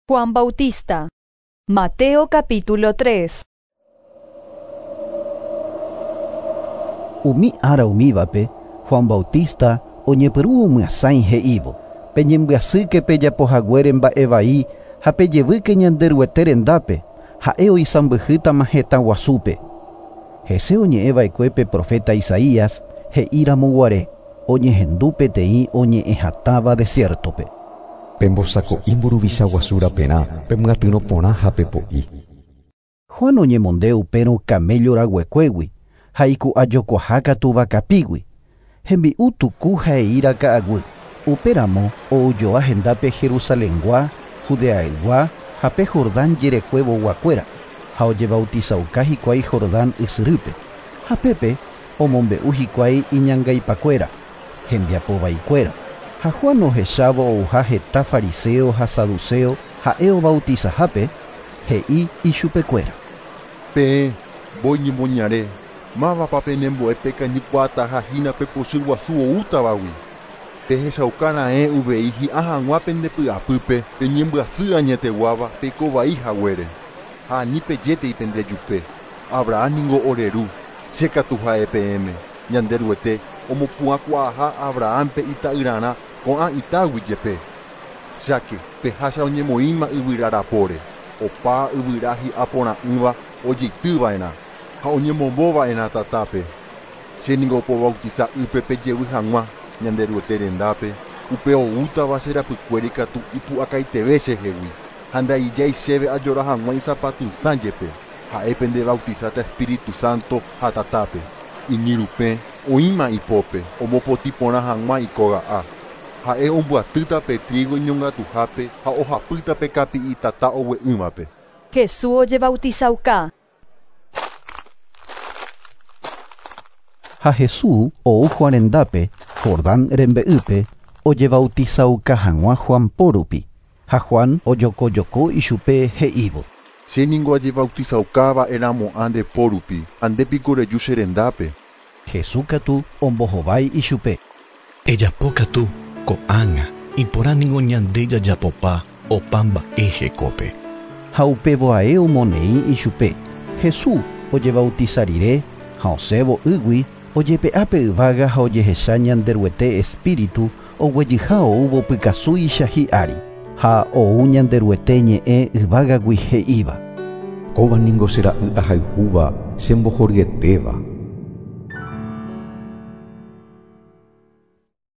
Juan Bautista. Mateo capítulo 3. Umi ára umívape, Juan Bautista oñepyrũ omyasãi he'ívo: Peñembyasýke pejapohaguére mba'e vai ha pejevýke Ñanderuete rendápe, ha'e oisãmbyhýtama hetã guasúpe. Hese oñe'ẽva'ekue pe profeta Isaías he'íramoguare oñehendu peteĩ oñe'ẽhatãva desierto-pe. Pembosako'i mburuvicha guasu raperã pemyatyrõ porã ha pepo'i. Juan oñemonde upérõ camello raguekuégui ha iku'ajokuahákatu vakapígui. Hembi'u tuku ha eíra ka'aguy. Upéramo oujoa hendápe Jerusalengua, Judeaygua ha pe Jordán jerekuevoguakuéra ha ojebautizauka hikuái Jordán ysyrýpe. Ha pépe omombe'u hikuái iñangaipakuéra, hembiapovaikuéra. Ha Juan ohechávo ouha heta fariseo ha saduceo ha'e obautizahápe, he'i ichupekuéra. Peẽ mbói ñemoñare, mávapa penembo'e pekañykuaataha hína pe pochy guasu oútavagui. Pehechauka raẽ uvei hi'ã hag̃ua pendepy'apýpe peñembyasy añeteguáva peikovai haguére. Ha ani pejétei pendejupe. Abraham ningo ore ru, che katu ha'e peẽme, Ñanderuete omopu'ãkuaaha Abrahampe ita'yrarã ko'ã itágui jepe. Cháke pehácha oñemoĩma yvyra rapóre, opa yvyra hi'a porã'ỹva ojeitýva'erã ha oñemombóva'erã tatápe. Che ningo pobautiza ýpe pejevy hag̃ua Ñanderuete rendápe, upe oútava che rapykuéri katu ipu'akaiteve chehegui ha ndaijái chéve ajora hag̃ua isapatysã jepe. Ha'e pendebautizáta Espíritu Santo ha tatápe. Iñirupẽ oĩma ipópe omopotĩ porã hag̃ua ikóga'a. Ha'e ombyatýta pe trigo iñongatuhápe ha ohapýta pe kapi'i tata ogue'ỹvape. Jesús ojebautizauka. Ha Jesús ou Juan rendápe, Jordán rembe'ýpe, ojebautizauka hag̃ua Juan po rupi. Ha Juan ojokojoko ichupe he'ívo. Che ningo ajebautizaukava'erãmo'ã nde po rupi, ha ndépiko reju che rendápe. Jesús katu ombohovái ichupe. Ejapókatu ko'ág̃a iporã ningo ñande jajapopa opa mba'e hekópe. Ha upevoae omoneĩ ichupe. Jesús ojebautiza rire ha osẽvo ýgui ojepe'a pe yvága ha ojehecha Ñanderuete Espíritu oguejyha oúvo pykasúicha hi'ári ha ou Ñanderuete ñe'ẽ yvágagui he'íva. Kóva ningo che ra'y ahayhúva chembohoryetéva.